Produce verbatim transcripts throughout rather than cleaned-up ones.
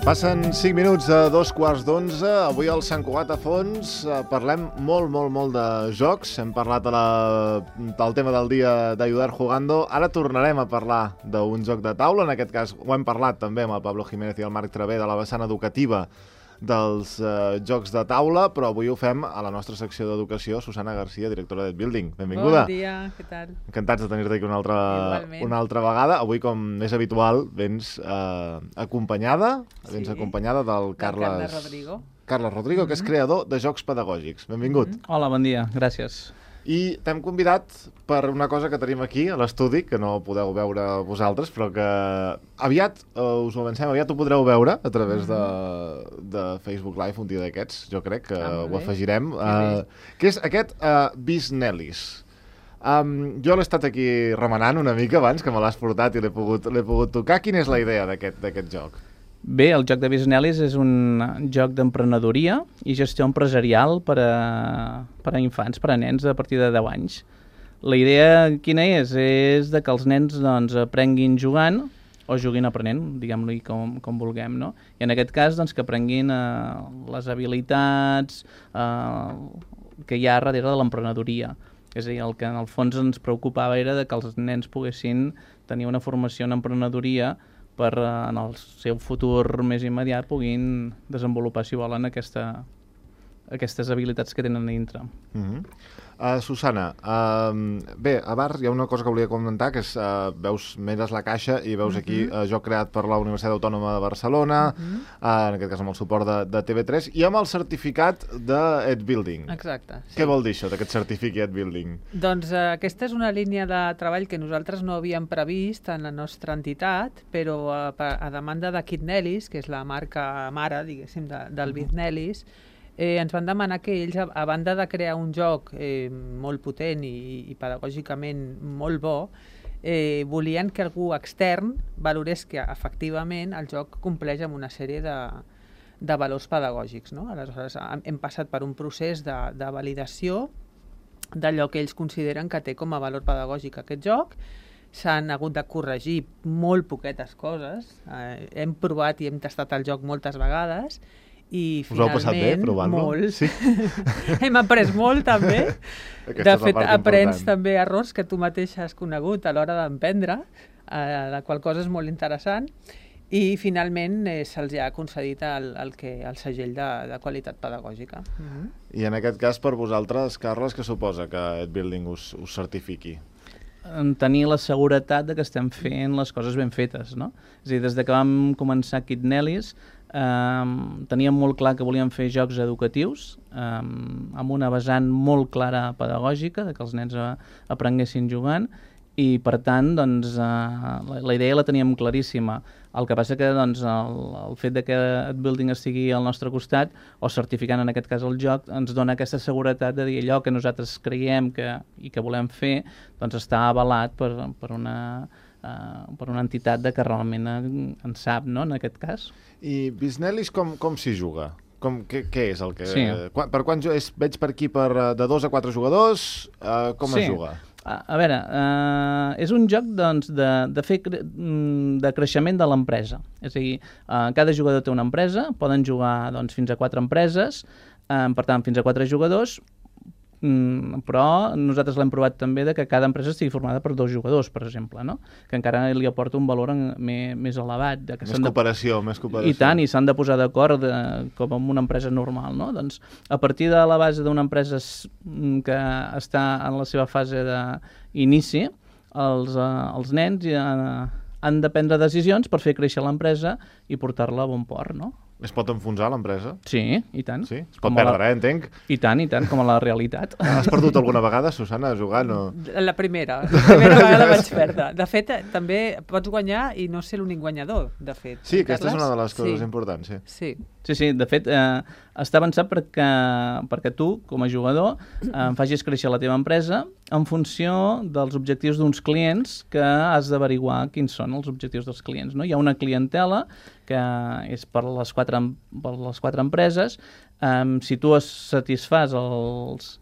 Passen cinc minuts de dos quarts d'onze. Avui al Sant Cugat a fons parlem molt, molt, molt de jocs. Hem parlat de la, del tema del dia d'Ayudar Jugando. Ara tornarem a parlar d'un joc de taula. En aquest cas ho hem parlat també amb el Pablo Jiménez i el Marc Travé de la vessant educativa dels eh, jocs de taula, però avui ho fem a la nostra secció d'educació. Susana Garcia, directora d'Ed Building. Benvinguda. Bon dia, què tal? Encantats de tenir-te aquí una altra, una altra vegada. Avui, com és habitual, vens eh, acompanyada, vens Sí. acompanyada del Carles... Carles Rodrigo. Carles Rodrigo, mm-hmm. que és creador de jocs pedagògics. Benvingut. Mm-hmm. Hola, bon dia, gràcies. I t'hem convidat per una cosa que tenim aquí a l'estudi, que no podeu veure vosaltres, però que aviat, uh, us ho avancem, aviat ho podreu veure a través de, de Facebook Live un dia d'aquests, jo crec que Ah, ho afegirem, uh, que és aquest uh, Bisnelis. Um, jo l'he estat aquí remenant una mica abans, que me l'has portat i l'he pogut, l'he pogut tocar. Quina és la idea d'aquest d'aquest joc? Bé, el joc de Bisnelis és un joc d'emprenedoria i gestió empresarial per a, per a infants, per a nens a partir de deu anys. La idea quina és? És de que els nens doncs, aprenguin jugant o juguin aprenent, diguem-li com, com vulguem, no? I en aquest cas doncs, que aprenguin eh, les habilitats eh, que hi ha darrere de l'emprenedoria. És a dir, el que en el fons ens preocupava era de que els nens poguessin tenir una formació en emprenedoria per en el seu futur més immediat puguin desenvolupar, si volen, aquesta, aquestes habilitats que tenen a dintre. Mm-hmm. uh, Susana, uh, bé, a Bar hi ha una cosa que volia comentar, que és, uh, veus, mires la caixa i veus aquí uh, joc creat per la Universitat Autònoma de Barcelona, uh-huh. uh, en aquest cas amb el suport de, de T V tres, i amb el certificat d'Ed Building. Exacte. Sí. Què vol dir això, d'aquest certificat Ed Building? Doncs eh, aquesta és una línia de treball que nosaltres no havíem previst en la nostra entitat, però eh, a demanda de Kidnelis, que és la marca mare, diguéssim, de, del Bisnelis, Eh, ens van demanar que ells, a, a banda de crear un joc eh, molt potent i, i pedagògicament molt bo, eh, volien que algú extern valorés que efectivament el joc compleix amb una sèrie de, de valors pedagògics, no? Aleshores hem, hem passat per un procés de, de validació d'allò que ells consideren que té com a valor pedagògic aquest joc. S'han hagut de corregir molt poquetes coses, eh, hem provat i hem tastat el joc moltes vegades, i us heu passat bé provant-lo? Molt. Sí. Hem après molt també. Aquesta de fet, aprens important. també errors que tu mateix has conegut a l'hora d'emprendre, eh, la qual cosa és molt interessant, i finalment eh, se'ls ha concedit el, el, que, el segell de, de qualitat pedagògica. Uh-huh. I en aquest cas per vosaltres, Carles, què suposa que Ed Building us, us certifiqui? Tenir la seguretat de que estem fent les coses ben fetes, no? És a dir, des de que vam començar Kidnelis, eh, teníem molt clar que volíem fer jocs educatius, eh, amb una vessant molt clara pedagògica, de que els nens a, aprenguessin jugant, i per tant doncs, eh, la, la idea la teníem claríssima. El que passa que doncs, el, el fet de que Ed Building estigui al nostre costat, o certificant en aquest cas el joc, ens dona aquesta seguretat de dir allò que nosaltres creiem que, i que volem fer, doncs està avalat per, per, una, uh, per una entitat de que realment en sap, no?, en aquest cas. I Bisnelis com, com s'hi juga? Com, què, què és el que... Sí. Quan, per quan és, veig per aquí per, de dos a quatre jugadors, uh, com sí. es juga? A, a veure, eh, és un joc doncs, de, de fer cre de creixement de l'empresa. És a dir, eh, cada jugador té una empresa, poden jugar doncs, fins a quatre empreses, eh, per tant, fins a quatre jugadors, mm, però nosaltres l'hem provat també de que cada empresa estigui formada per dos jugadors, per exemple, no? Que encara li aporta un valor en, més, més elevat. De que més cooperació, de... més cooperació. I tant, i s'han de posar d'acord com en una empresa normal, no? Doncs a partir de la base d'una empresa que està en la seva fase d'inici, els, eh, els nens eh, han de prendre decisions per fer créixer l'empresa i portar-la a bon port, no? Es pot enfonsar l'empresa? Sí, i tant. Sí? Es pot com perdre, la... eh, entenc? I tant, i tant, com a la realitat. Has perdut alguna vegada, Susana, jugant o...? La primera. La primera vegada vaig perdre. De fet, també pots guanyar i no ser l'únic guanyador, de fet. Sí, aquesta Carles? és una de les coses sí. importants, sí. Sí. Sí, sí, de fet, eh, està pensat perquè, perquè tu, com a jugador, eh, facis créixer la teva empresa en funció dels objectius d'uns clients que has d'averiguar quins són els objectius dels clients, no? Hi ha una clientela que és per les quatre, per les quatre empreses. Eh, si tu satisfàs els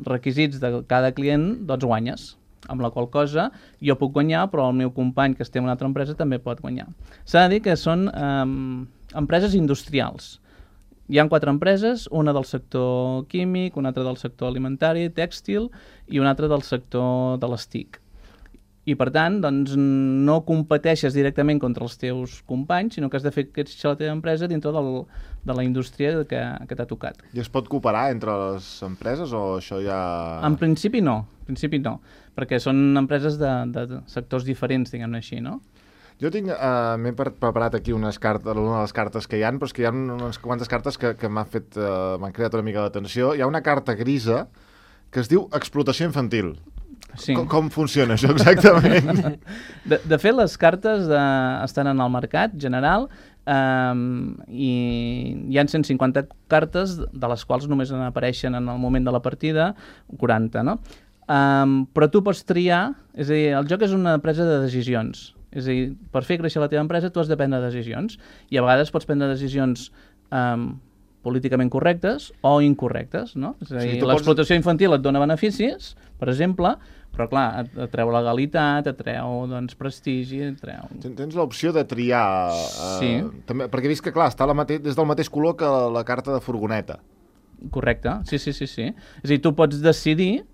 requisits de cada client, doncs guanyes. Amb la qual cosa jo puc guanyar, però el meu company que està en una altra empresa també pot guanyar. S'ha de dir que són... Eh, empreses industrials. Hi ha quatre empreses, una del sector químic, una altra del sector alimentari, tèxtil, i una altra del sector de les T I C. I, per tant, doncs, no competeixes directament contra els teus companys, sinó que has de fer créixer la teva empresa dintre del, de la indústria que, que t'ha tocat. I es pot cooperar entre les empreses o això ja... En principi no, en principi no, perquè són empreses de, de sectors diferents, diguem-ne així, no? Jo tinc, uh, m'he preparat aquí unes cartes, una de les cartes que hi ha, però és que hi ha unes quantes cartes que, que m'han fet, uh, m'han creat una mica d'atenció. Hi ha una carta grisa que es diu explotació infantil. Sí. Com, com funciona això exactament? De, de fet, les cartes eh, estan en el mercat general eh, i hi ha cent cinquanta cartes, de les quals només apareixen en el moment de la partida quaranta, no? Um, però tu pots triar, és a dir, el joc és una presa de decisions. És a dir, per fer créixer la teva empresa tu has de prendre decisions i a vegades pots prendre decisions um, políticament correctes o incorrectes, no? És a dir, sí, l'explotació pots... infantil et dona beneficis, per exemple, però clar, et, et treu legalitat, et treu doncs, prestigi, et treu... Tens l'opció de triar... Eh, sí. També, perquè he vist que, clar, està la mate... des del mateix color que la carta de furgoneta. Correcte, sí, sí, sí, sí. És a dir, tu pots decidir,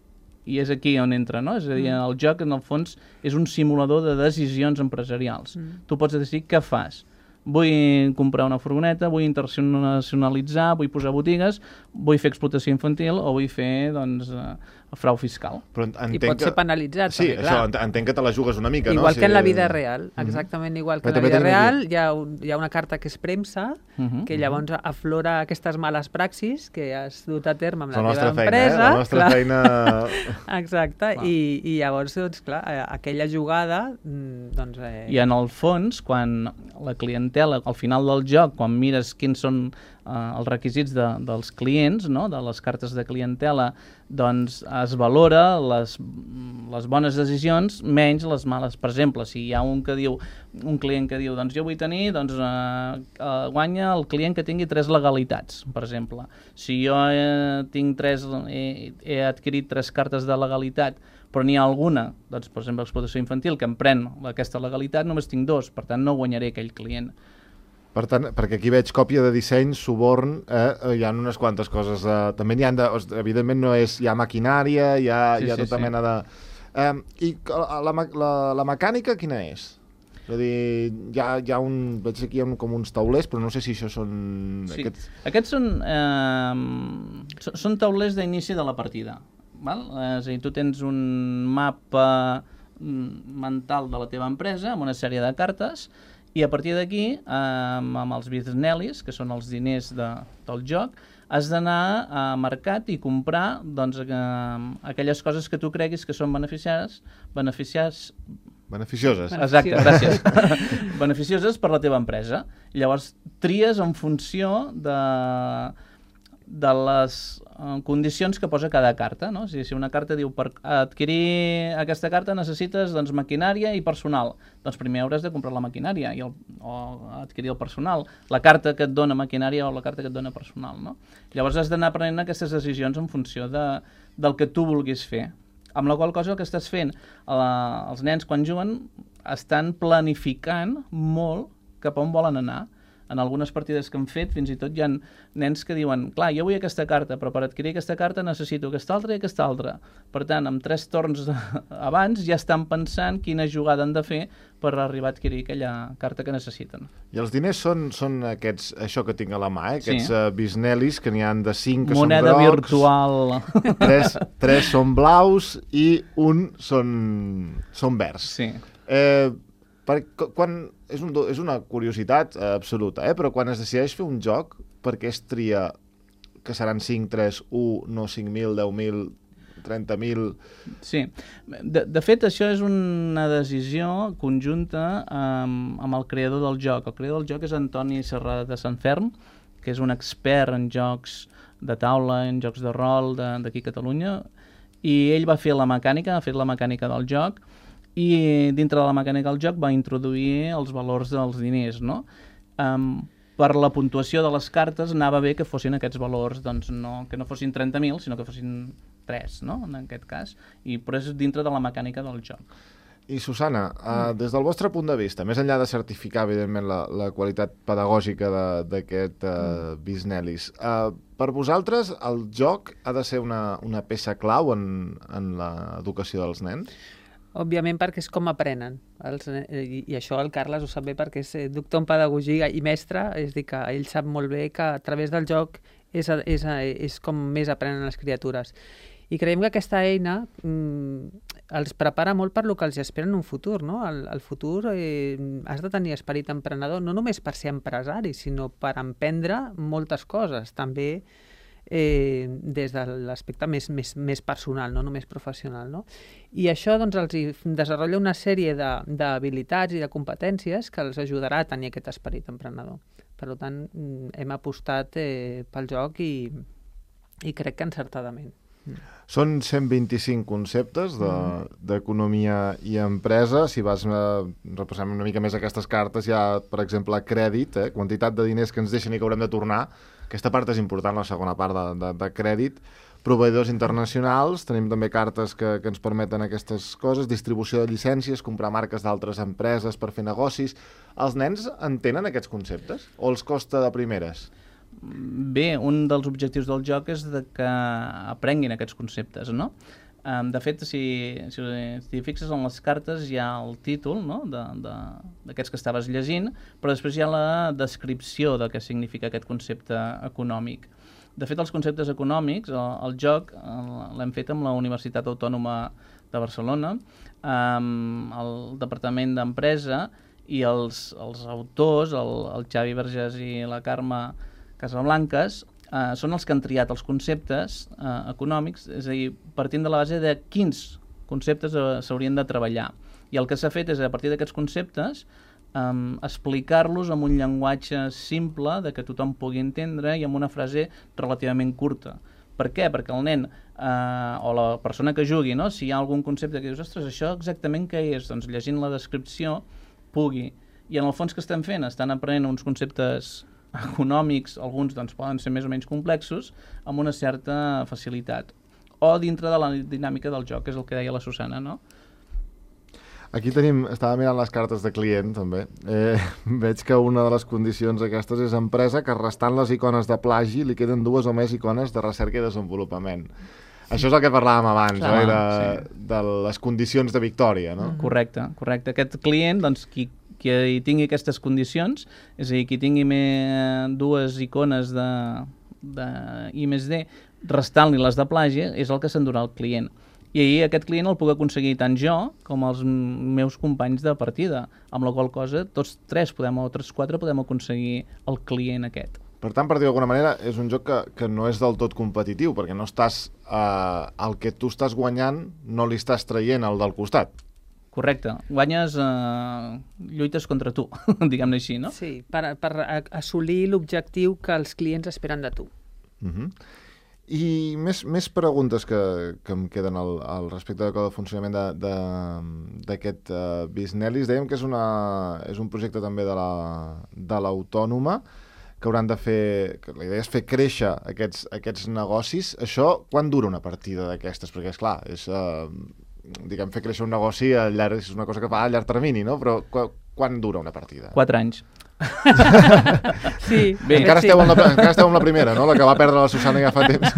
i és aquí on entra, no? És a dir, mm. el joc, en el fons, és un simulador de decisions empresarials. Mm. Tu pots decidir què fas. Vull comprar una furgoneta, vull internacionalitzar, vull posar botigues, vull fer explotació infantil o vull fer, doncs, uh, frau fiscal. Però I pot que... ser penalitzat, sí, també, clar. Això, entenc que te la jugues una mica, igual no? que si... en la vida real, exactament igual que en la vida real, hi ha, un, hi ha una carta que és premsa, uh-huh. que llavors aflora aquestes males praxis que has dut a terme amb la, la teva feina, empresa. Eh? La nostra clar. feina... Exacte, I, i llavors, doncs, clar, aquella jugada... Doncs, eh... I en el fons, quan la clientela, al final del joc, quan mires quins són Uh, els requisits de, dels clients, no? De les cartes de clientela, doncs es valora les, les bones decisions menys les males. Per exemple, si hi ha un que diu, un client que diu, doncs jo vull tenir, doncs uh, uh, guanya el client que tingui tres legalitats, per exemple. Si jo uh, tinc tres, he, he adquirit tres cartes de legalitat, però n'hi ha alguna, doncs, per exemple, explotació infantil, que em pren aquesta legalitat, només tinc dos, per tant no guanyaré aquell client. Per tant, perquè aquí veig còpia de disseny, suborn, eh, hi ha unes quantes coses. Eh, també n'hi ha, de, evidentment no és, hi ha maquinària, hi ha, sí, hi ha tota sí, mena sí. de... Eh, I la, la, la mecànica quina és? És a dir, hi ha, hi ha un... Veig aquí hi ha un, com uns taulers, però no sé si això són... Sí. Aquests, Aquests són, eh, són taulers d'inici de la partida. Val? És a dir, tu tens un mapa mental de la teva empresa amb una sèrie de cartes. I a partir d'aquí, eh, amb els biznelis, que són els diners de, del joc, has d'anar a mercat i comprar doncs, eh, aquelles coses que tu creguis que són beneficiades, beneficiades... Beneficioses. Exacte, gràcies. Beneficioses per la teva empresa. I llavors tries en funció de, de les uh, condicions que posa cada carta, no? Si, si una carta diu per adquirir aquesta carta necessites doncs, maquinària i personal, doncs primer hauràs de comprar la maquinària i el, o adquirir el personal, la carta que et dona maquinària o la carta que et dona personal, no? Llavors has d'anar prenent aquestes decisions en funció de, del que tu vulguis fer, amb la qual cosa el que estàs fent, la, els nens quan juguen estan planificant molt cap a on volen anar. En algunes partides que hem fet, fins i tot hi ha nens que diuen, clar, jo vull aquesta carta, però per adquirir aquesta carta necessito aquesta altra i aquesta altra. Per tant, amb tres torns abans ja estan pensant quina jugada han de fer per arribar a adquirir aquella carta que necessiten. I els diners són, són aquests, això que tinc a la mà, eh? Aquests sí. uh, biznelis que n'hi ha de cinc que Moneda són grocs, virtual. Tres, tres són blaus i un són, són verds. Sí. Eh, per, quan, és, un, és una curiositat eh, absoluta, eh? Però quan es decideix fer un joc, per què es tria que seran cinc, tres, u, no cinc mil, deu mil, trenta mil... Sí, de, de fet això és una decisió conjunta amb, amb el creador del joc. El creador del joc és Antoni Serrada de Santferm, que és un expert en jocs de taula, en jocs de rol d'aquí a Catalunya, i ell va fer la mecànica, ha fet la mecànica del joc, i dintre de la mecànica del joc va introduir els valors dels diners, no? Um, per la puntuació de les cartes anava bé que fossin aquests valors, doncs no, que no fossin trenta mil, sinó que fossin tres, no? En aquest cas, i però és dintre de la mecànica del joc. I Susana, uh, des del vostre punt de vista, més enllà de certificar, evidentment, la, la qualitat pedagògica d'aquest uh, Bisnelis, uh, per vosaltres el joc ha de ser una, una peça clau en, en l'educació dels nens? Òbviament perquè és com aprenen. Els, i, I això el Carles ho sap bé perquè és doctor en pedagogia i mestre, és a dir, que ell sap molt bé que a través del joc és, és, és com més aprenen les criatures. I creiem que aquesta eina mm, els prepara molt per lo que els espera en un futur, no? El, el futur eh, has de tenir esperit emprenedor, no només per ser empresari, sinó per emprendre moltes coses, també eh, des de l'aspecte més, més, més personal, no només professional, no? I això doncs, els desenvolupa una sèrie d'habilitats i de competències que els ajudarà a tenir aquest esperit emprenedor. Per tant, hem apostat eh, pel joc i, i crec que encertadament. Són cent vint-i-cinc conceptes d'economia de, i empresa. Si vas eh, repassant una mica més aquestes cartes, hi ha, per exemple, crèdit, eh, quantitat de diners que ens deixen i que haurem de tornar. Aquesta part és important, la segona part de, de, de crèdit. Proveïdors internacionals, tenim també cartes que, que ens permeten aquestes coses, distribució de llicències, comprar marques d'altres empreses per fer negocis. Els nens entenen aquests conceptes o els costa de primeres? Bé, un dels objectius del joc és de que aprenguin aquests conceptes, no? De fet, si, si, si fixes en les cartes hi ha el títol, no? d'aquests que estaves llegint, però després hi ha la descripció de què significa aquest concepte econòmic. De fet, els conceptes econòmics, el, el joc, l'hem fet amb la Universitat Autònoma de Barcelona, amb el Departament d'Empresa i els, els autors, el, el Xavi Vergés i la Carme Casablanques, eh, són els que han triat els conceptes eh, econòmics, és a dir, partint de la base de quins conceptes eh, s'haurien de treballar. I el que s'ha fet és, a partir d'aquests conceptes, eh, explicar-los amb un llenguatge simple, de que tothom pugui entendre, i amb una frase relativament curta. Per què? Perquè el nen eh, o la persona que jugui, no? Si hi ha algun concepte que dius, ostres, això exactament què és? Doncs llegint la descripció pugui. I en el fons que estem fent? Estan aprenent uns conceptes econòmics, alguns doncs, poden ser més o menys complexos, amb una certa facilitat. O dintre de la dinàmica del joc, que és el que deia la Susana, no? Aquí tenim, estava mirant les cartes de client, també. Eh, veig que una de les condicions aquestes és empresa que restant les icones de plagi li queden dues o més icones de recerca i desenvolupament. Això és el que parlàvem abans, Clar, no? de, sí. de les condicions de victòria, no? Correcte, correcte. Aquest client, doncs, qui qui tingui aquestes condicions, és a dir, qui tingui més dues icones de, de I més D, restant-li les de plagi, és el que s'endurà el client. I ahir aquest client el puc aconseguir tant jo com els meus companys de partida, amb la qual cosa tots tres podem, o tres quatre podem aconseguir el client aquest. Per tant, per dir d'alguna manera, és un joc que, que no és del tot competitiu, perquè no estàs, eh, el que tu estàs guanyant no li estàs traient al del costat. Correcte. Guanyes, eh, lluites contra tu, diguem-ne així, no? Sí, per, per assolir l'objectiu que els clients esperen de tu. Uh-huh. I més, més preguntes que, que em queden al, al respecte del funcionament d'aquest uh, Bisnelis. Dèiem que és, una, és un projecte també de l'Autònoma, que hauran de fer, que la idea és fer créixer aquests, aquests negocis. Això, quan dura una partida d'aquestes? Perquè, esclar, és... Uh, diguem, fer créixer un negoci a llarg, és una cosa que fa a llarg termini, no? Però qu quan dura una partida? Quatre anys. Sí. Bé, encara, sí. Esteu en la, encara esteu en la primera, no? La que va perdre la Susana ja fa temps.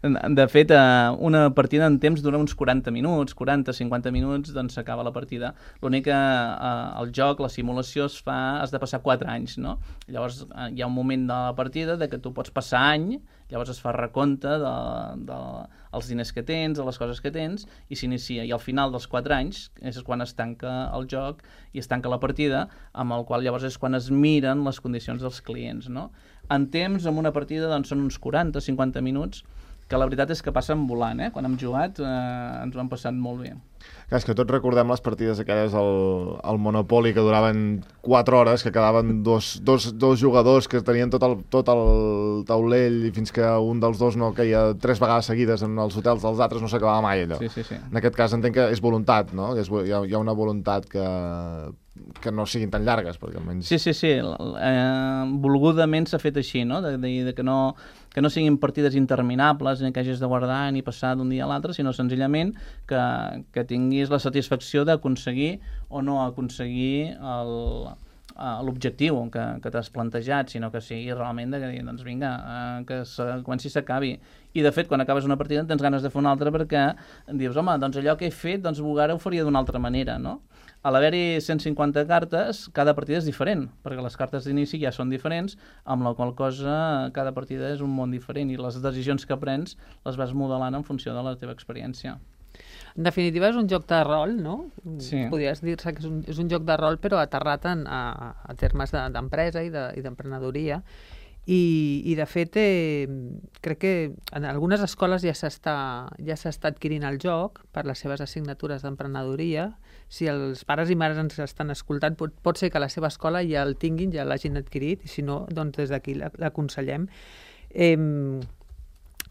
De fet, una partida en temps dura uns quaranta minuts, quaranta a cinquanta minuts, doncs s'acaba la partida. L'únic que el joc, la simulació, es fa, has de passar quatre anys, no? Llavors hi ha un moment de la partida de que tu pots passar any, llavors es fa recompte de, de, dels diners que tens, de les coses que tens, i s'inicia. I al final dels quatre anys és quan es tanca el joc i es tanca la partida, amb el qual llavors és quan es miren les condicions dels clients, no? En temps, en una partida, doncs són uns quaranta a cinquanta minuts, que la veritat és que passen volant, eh? Quan hem jugat eh, ens ho hem passat molt bé. Clar, és que tots recordem les partides aquelles al, al Monopoly que duraven quatre hores, que quedaven dos, dos, dos jugadors que tenien tot el, tot el taulell i fins que un dels dos no caia tres vegades seguides en els hotels dels altres no s'acabava mai allò. Sí, sí, sí. En aquest cas entenc que és voluntat, no? És, hi, ha, hi ha una voluntat que que no siguin tan llargues, perquè almenys... Sí, sí, sí. Eh, volgudament s'ha fet així, no? De, de, de que no que no siguin partides interminables en què hagis de guardar ni passar d'un dia a l'altre, sinó senzillament que, que tinguis la satisfacció d'aconseguir o no aconseguir el... l'objectiu que, que t'has plantejat, sinó que sigui realment de dir, doncs vinga, eh, que comenci i s'acabi. I de fet, quan acabes una partida tens ganes de fer una altra perquè dius, home, doncs allò que he fet, doncs ara ho faria d'una altra manera, no? A l'haver-hi cent cinquanta cartes, cada partida és diferent, perquè les cartes d'inici ja són diferents, amb la qual cosa cada partida és un món diferent i les decisions que prens les vas modelant en funció de la teva experiència. En definitiva, és un joc de rol, no? Sí. Podries dir-se que és un, és un joc de rol, però aterrat en, a, a termes d'empresa de, i d'emprenedoria. De, I, I, de fet, eh, crec que en algunes escoles ja s'està ja s'està adquirint el joc per les seves assignatures d'emprenedoria. Si els pares i mares ens estan escoltant, pot, pot ser que a la seva escola ja el tinguin, ja l'hagin adquirit, i si no, doncs des d'aquí l'aconsellem. Eh,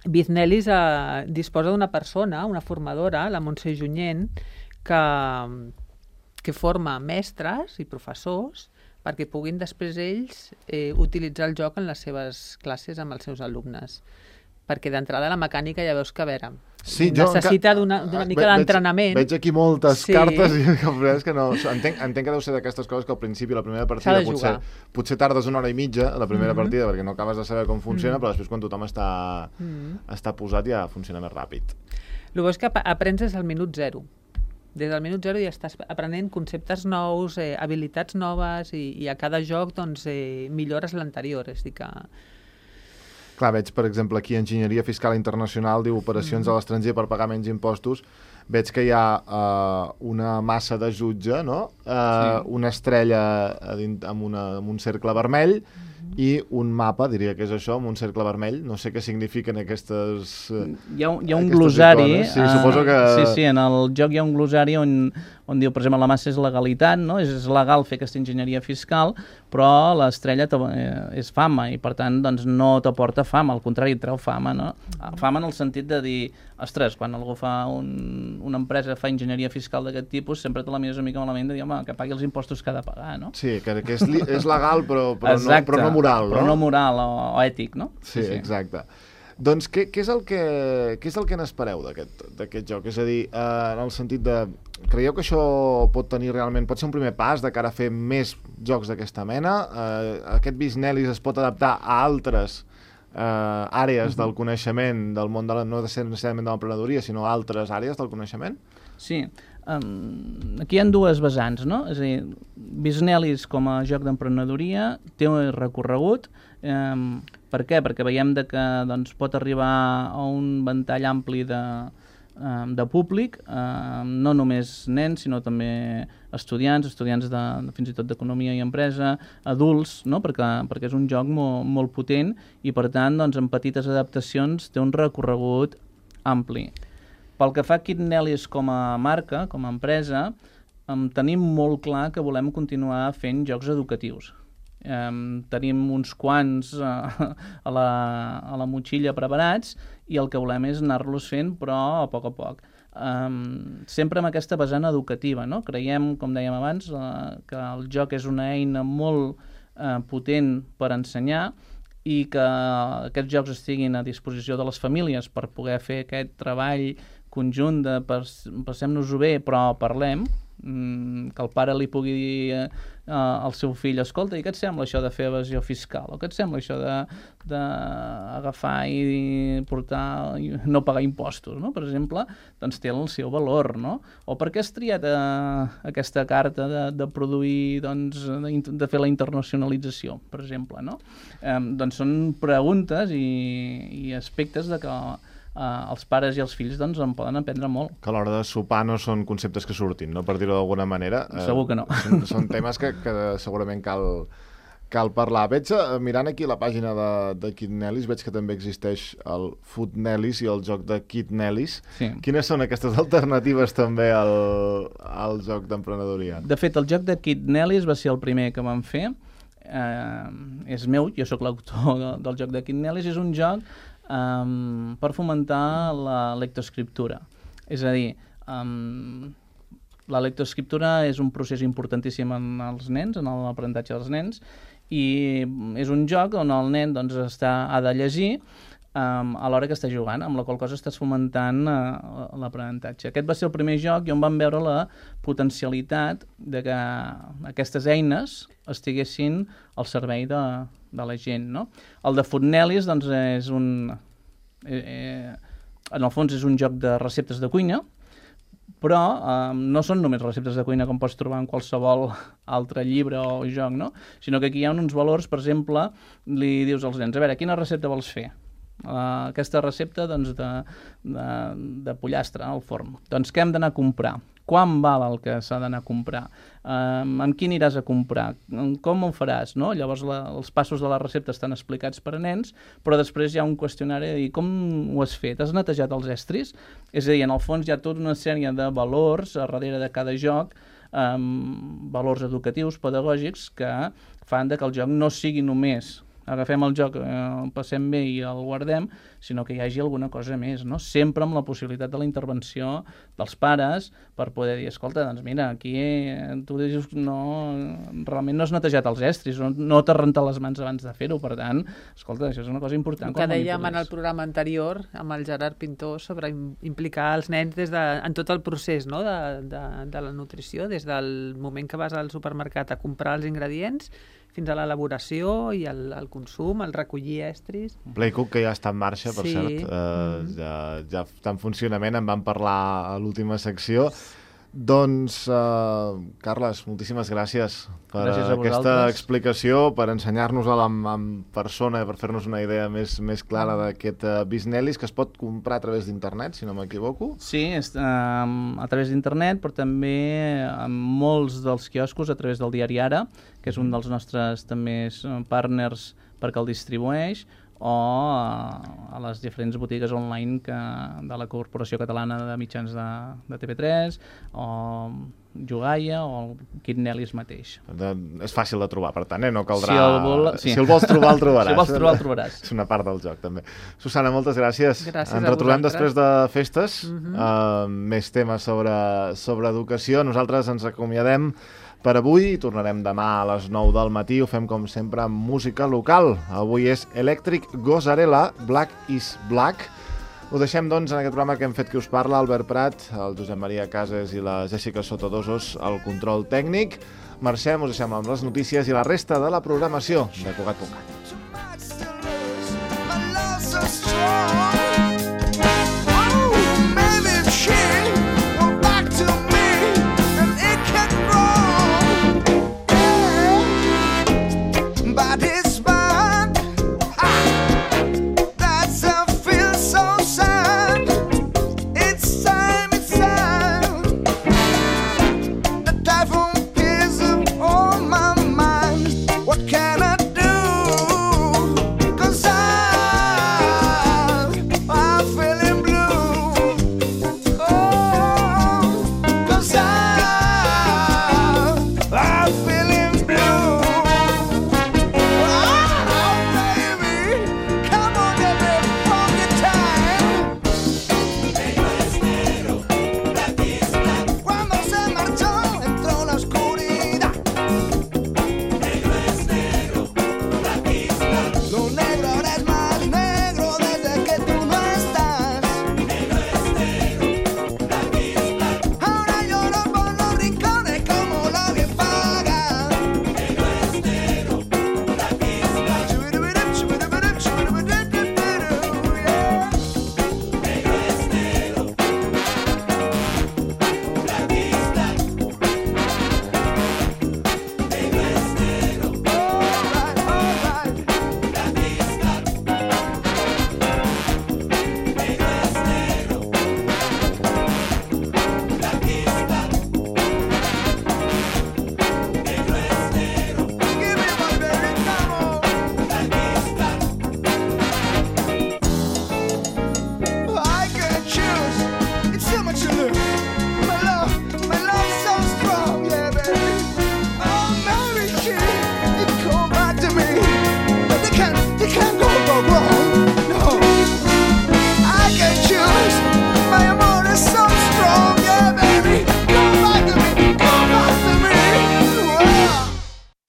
Viznellis eh, disposa d'una persona, una formadora, la Montse Junyent, que, que forma mestres i professors perquè puguin després ells eh, utilitzar el joc en les seves classes amb els seus alumnes. Perquè d'entrada la mecànica ja veus que, a veure, sí, necessita d'una mica d'entrenament. Veig aquí moltes sí. cartes i és que no... Entenc, entenc que deu ser d'aquestes coses que al principi, la primera partida, potser, potser tardes una hora i mitja a la primera mm-hmm. partida perquè no acabes de saber com funciona, mm-hmm. però després quan tothom està, mm-hmm. està posat ja funciona més ràpid. El bo és que aprens des del minut zero. Des del minut zero ja estàs aprenent conceptes nous, eh, habilitats noves i, i a cada joc doncs, eh, millores l'anterior. És dir que... Clar, veig, per exemple, aquí Enginyeria Fiscal Internacional diu operacions mm. a l'estranger per pagar menys impostos. Veig que hi ha uh, una massa de jutge, no? Uh, sí. Una estrella amb, una, amb un cercle vermell mm. i un mapa, diria que és això, amb un cercle vermell. No sé què signifiquen aquestes uh, Hi ha, hi ha un glosari. Icones. Sí, uh, suposo que... Sí, sí, en el joc hi ha un glosari on, on diu, per exemple, la massa és legalitat, no? És legal fer aquesta enginyeria fiscal, però l'estrella és fama i, per tant, doncs, no t'aporta fama, al contrari, et treu fama, no? Fama en el sentit de dir, ostres, quan algú fa un, una empresa fa enginyeria fiscal d'aquest tipus, sempre te la mires una mica malament de dir, home, que pagui els impostos que ha de pagar, no? Sí, que, que és, és legal, però, però, no, però no moral, no? Però no moral o, o ètic, no? Sí, sí, exacte. Doncs què, què, és el que, què és el que n'espereu d'aquest joc? És a dir, eh, en el sentit de... Creieu que això pot tenir realment... Pot ser un primer pas de cara a fer més jocs d'aquesta mena? Eh, aquest Viznellis es pot adaptar a altres eh, àrees del coneixement del món, de la, no de ser necessàriament de l'emprenedoria, sinó a altres àrees del coneixement? Sí. Um, aquí hi ha dues vessants, no? És a dir, Viznellis com a joc d'emprenedoria té un recorregut. Um, per què? Perquè veiem de que doncs, pot arribar a un ventall ampli de, um, de públic, um, no només nens, sinó també estudiants, estudiants de, de, fins i tot d'economia i empresa, adults, no? perquè, perquè és un joc molt, molt potent i per tant doncs, en petites adaptacions té un recorregut ampli. Pel que fa a Kidnellis com a marca, com a empresa, um, tenim molt clar que volem continuar fent jocs educatius. Um, tenim uns quants uh, a, la, a la motxilla preparats i el que volem és anar-los fent, però a poc a poc. Um, sempre amb aquesta vessant educativa, no? Creiem, com dèiem abans, uh, que el joc és una eina molt uh, potent per ensenyar i que aquests jocs estiguin a disposició de les famílies per poder fer aquest treball conjunt de passem-nos-ho bé però parlem, que el pare li pugui dir eh, al seu fill, escolta, i què et sembla això de fer evasió fiscal? O què et sembla això d'agafar i portar, no pagar impostos, no? Per exemple, doncs té el seu valor, no? O per què has triat eh, aquesta carta de, de produir, doncs, de, de fer la internacionalització, per exemple, no? Eh, doncs són preguntes i, i aspectes de que Uh, els pares i els fills doncs, en poden aprendre molt. Que a l'hora de sopar no són conceptes que surtin, no? Per dir-ho d'alguna manera. Uh, Segur que no. Són, són temes que, que segurament cal, cal parlar. Veig, uh, mirant aquí la pàgina de, de Kidnellis, veig que també existeix el Foodnellis i el joc de Kidnellis. Sí. Quines són aquestes alternatives també al, al joc d'emprenedoria? De fet, el joc de Kidnellis va ser el primer que vam fer. Uh, és meu, jo sóc l'autor de, del joc de Kidnellis. És un joc Um, per fomentar la lectoescriptura. És a dir, um, La lectoescriptura és un procés importantíssim en els nens, en l'aprenentatge dels nens, i és un joc on el nen doncs, està, ha de llegir um, a l'hora que està jugant, amb la qual cosa estàs fomentant uh, l'aprenentatge. Aquest va ser el primer joc i on vam veure la potencialitat de que aquestes eines estiguessin al servei de, de la gent. No? El de Foodnelis doncs, és un... Eh, eh, en el fons és un joc de receptes de cuina, però eh, no són només receptes de cuina com pots trobar en qualsevol altre llibre o joc, no? Sinó que aquí hi ha uns valors, per exemple, li dius als nens, a veure, quina recepta vols fer? Uh, aquesta recepta doncs, de, de, de pollastre al forn. Doncs què hem d'anar a comprar? Quan val el que s'ha d'anar a comprar? Um, amb qui aniràs a comprar? Com ho faràs? No? Llavors la, els passos de la recepta estan explicats per a nens, però després hi ha un qüestionari de dir com ho has fet? Has netejat els estris? És a dir, en el fons hi ha tota una sèrie de valors a darrere de cada joc, um, valors educatius, pedagògics, que fan de que el joc no sigui només agafem el joc, eh, el passem bé i el guardem, sinó que hi hagi alguna cosa més, no? Sempre amb la possibilitat de la intervenció dels pares per poder dir, escolta, doncs mira, aquí eh, tu dius no, realment no has netejat els estris, no, no t'has rentat les mans abans de fer-ho, per tant, escolta, això és una cosa important. El que dèiem en el programa anterior amb el Gerard Pintor sobre implicar els nens des de, en tot el procés, no? de, de, de la nutrició, des del moment que vas al supermercat a comprar els ingredients fins a l'elaboració i el, el consum, el recollir estris. Playcook, que ja està en marxa, per sí. cert, eh, mm-hmm. ja, ja està en funcionament, en vam parlar a l'última secció. Doncs, uh, Carles, moltíssimes gràcies per gràcies aquesta explicació, per ensenyar-nos-la en, en persona, per fer-nos una idea més, més clara d'aquest uh, Bisnelis, que es pot comprar a través d'internet, si no m'equivoco. Sí, és, um, a través d'internet, però també en molts dels quioscos a través del diari Ara, que és un dels nostres també partners perquè el distribueix, o a les diferents botigues online que, de la Corporació Catalana de Mitjans de, de T V tres, o Jugaia, o el Kidnelis mateix. De, és fàcil de trobar, per tant, eh? No caldrà... Si el, vol... sí. si el vols trobar, el trobaràs. Si el vols trobar, el trobaràs. És una part del joc, també. Susana, moltes gràcies. Gràcies Ens retrobem després de festes, uh-huh. uh, més temes sobre, sobre educació. Nosaltres ens acomiadem per avui, tornarem demà a les nou del matí, ho fem com sempre amb música local. Avui és Electric Gozzarella, Black is Black. Ho deixem, doncs, en aquest programa que hem fet que us parla, Albert Prat, el Josep Maria Cases i la Jèssica Sotodosos, al control tècnic. Marxem, us deixem amb les notícies i la resta de la programació de Cugat punt cat.